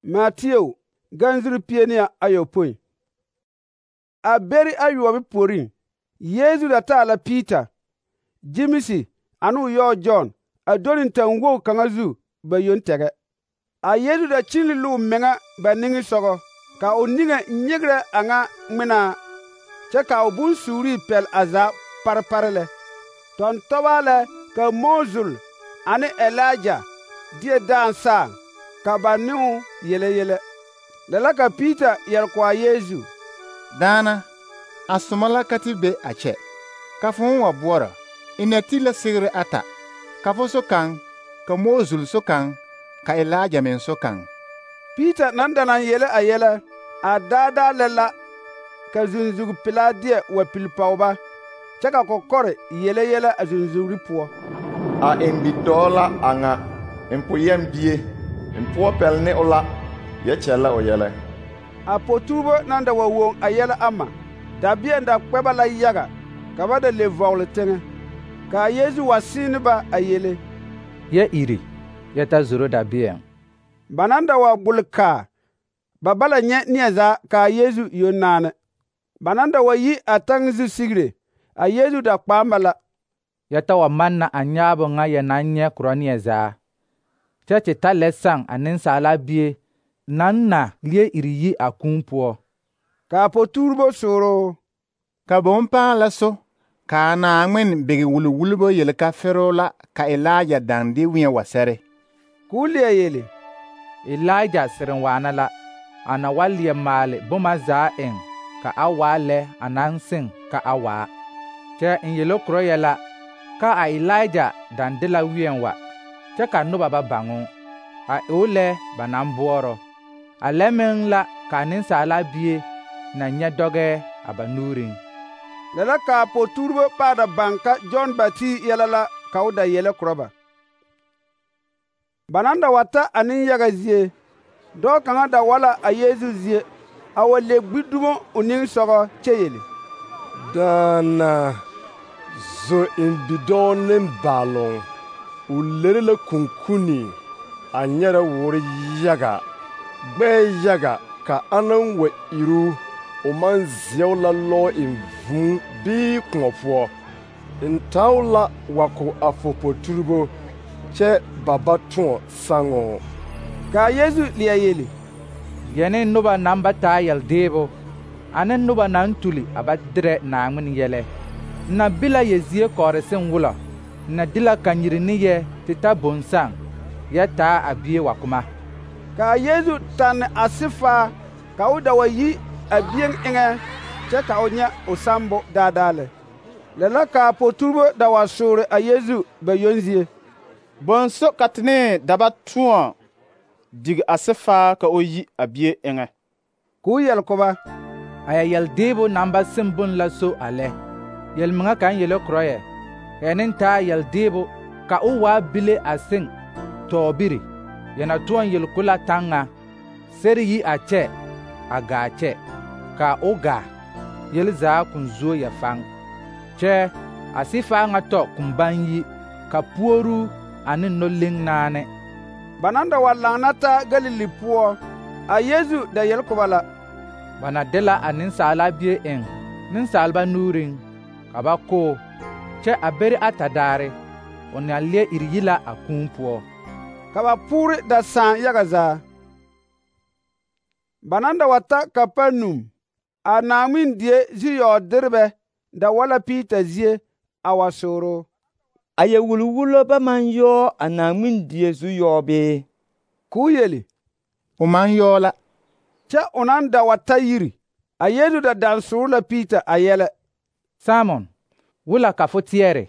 Mateo ganzuri pie ne ayopõi. A beri ayoɔbo puoriŋ, Yeezu da taa la Piita, Gyemesi ane o yɔɔ Jɔn a do ne taŋwogi kaŋa zu ba yoŋ tɛgɛ. A Yeezu da kyili la o meŋa ba niŋesogɔ, ka o niŋe nyegerɛ a ŋa ŋmenaa, kyɛ ka o bonsuurii pɛle a zaa parepare lɛ. Tɔntɔbaa lɛ ka Moozul ane Elija deɛ daaŋ saaŋ, ka ba ne o yele yɛlɛ. Lɛ la ka Piita yɛre ko a Yeezu: Daana, a soma la ka te be a kyɛ, ka fo wa boɔrɔ, ina ti la sigiri ata, ka fo so kaŋ, ka Moozul so kaŋ, ka Elija meŋ so kaŋ. Piita naŋ da naŋ yele a yɛlɛ, a daadaa lɛ la ka zunzugi pelaa deɛ wa pili pɔge ba, kyɛ ka kɔkɔre yele yɛlɛ a zunzugri poɔ: A eŋ bidɔɔ la a ŋa, n po yɛm bie, n poɔ pɛle ne o la, yɛ kyɛllɛ o yɛlɛ. A poturebo naŋ da wa woŋ a yɛlɛ ama, dabeɛŋ da kpɛ ba la yaga, ka ba da le vɔgele teŋɛ. Ka a Yeezu wa sẽẽ ne ba a yele: Yɛ iri, yɛ ta zoro dabeɛŋ. Ba naŋ da wa gbole kaa, ba ba la nyɛ neɛ zaa ka a Yeezu yoŋ naanɛ. Ba naŋ da wa yi a taŋi zu sigire, a Yeezu da kpaam ba la: Yɛ ta wa manna a nyaabo ŋa yɛ naŋ nyɛ korɔ neɛ zaa, kyɛ te ta lɛ saŋ a Nensaala Bie naŋ na leɛ iri yi a kūū poɔ. Ka a poturebo sooro: Ka bõn pãã la so, ka a Naaŋmen bege wuli-wullibo yele ka feroo la ka Elija daŋ de wẽɛ wa sɛre. K'o leɛ yele: Elija sereŋ waana la, a na wa leɛ maale boma zaa eŋ ka a waa lɛ a naŋ seŋ ka a waa. Kyɛ n yele korɔ yɛ la ka a Elija daŋ de la wẽɛ wa, kyɛ ka noba ba baŋ o, a e o lɛ ba naŋ boɔrɔ. A lɛ meŋ la ka a Nensaala Bie na nyɛ dɔgɛɛ a ba nuuriŋ. Lɛ la ka a poturebo pãã da baŋ ka Jɔn Batiis yɛlɛ la ka o da yele korɔ ba. Ba naŋ da wa ta a nenyaga zie, dɔɔ kaŋa da wa la a Yeezu zie, a wa le gbi dumo o niŋesogɔ kyɛ yele: Daana, zo eŋ bidɔɔ nembaaloŋ, o lere la kunkuni, a nyɛrɛ woore yaga, gbɛɛ yaga, ka anaŋ wa iru, o maŋ zeɛo la lɔɔ eŋ vūū bii kõɔ poɔ. N tao la wa ko a fo poturebo, kyɛ ba ba tõɔ saŋoo. Ka a Yeezu leɛ yele: Yɛ ne noba naŋ ba taa yɛldeebo, ane noba naŋ tuli a ba derɛ Naaŋmen yɛlɛ. N na be la yɛ zie kɔɔre seŋ wulɔ, n na de la kanyiri ne yɛ te ta bõn-saŋ, yɛ taa a bie wa kuma. Ka a Yeezu tanne a sifaa, ka o da wa yi a bieŋ eŋɛ, kyɛ ka o nyɛ o sambo daadaa lɛ. Lɛ la ka a poturebo da wa soore a Yeezu ba yoŋ zie: Bõn so ka te ne daba tõɔ dig a sifaa ka o yi a bie eŋɛ? K'o yɛle ko ba: A yɛ yɛldeebo naŋ ba seŋ bon la so a lɛ. Yɛl-meŋa kaŋ yele korɔ yɛ: Yɛ neŋ taa yɛldeebo ka o waa bile a seŋ tɔɔbiri, yɛ na tõɔ yele ko la taŋ ŋa: Sɛre yi a kyɛ, a gaa kyɛ, ka o gaa, yele zaa kõn zuo yɛ faŋ. Kyɛ a sifaa ŋa tɔ kõn baŋ yi, ka puoru ane no-leŋ naane. Ba naŋ da wa laŋna taa Galili poɔ, a Yeezu da yele ko ba la: Ba na de la a Nensaala Bie eŋ nensaalba nuuriŋ, ka ba ko, kyɛ a beri ata daare, o na leɛ iri yi la a kūū poɔ. Ka ba poore da sãã yaga zaa. Ba naŋ da wa ta Kapanum, a Naaŋmen die zu-yɔɔderebɛ da wa la Piita zie a wa sooro: A yɛ wuli-wulo ba maŋ yɔɔ a Naaŋmen die zu-yɔɔ bee? K'o yele: O maŋ yɔɔ la. Kyɛ o naŋ da wa ta yiri, a Yeezu da daŋ sooro la Piita a yɛlɛ: Simon, wula ka fo teɛre?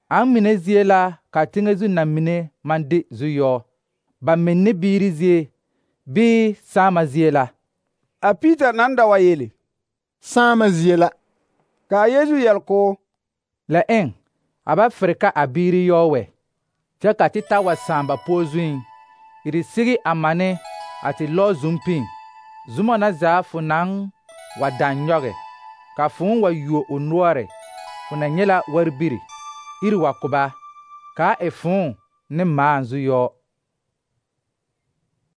Aŋ mine zie la ka teŋɛ zu na mine maŋ de zu-yɔɔ, ba menne biiri zie, bii saama zie la? A Piita naŋ da wa yele: Saama zie la. Ka a Yeezu yɛle k'o: Lɛ eŋ, a ba fere ka a biiri yɔɔ wɛ, kyɛ ka te ta wa sãã ba poɔ zuiŋ, iri sigi a mane a te lɔɔ zumpiŋ, zuma na zaa fo naŋ wa daŋ nyɔge, ka fõõ wa yuo o noɔre, fo na nyɛ la warbiri, iri wa ko ba, kaa e fõõ ne mãã zu-yɔɔ.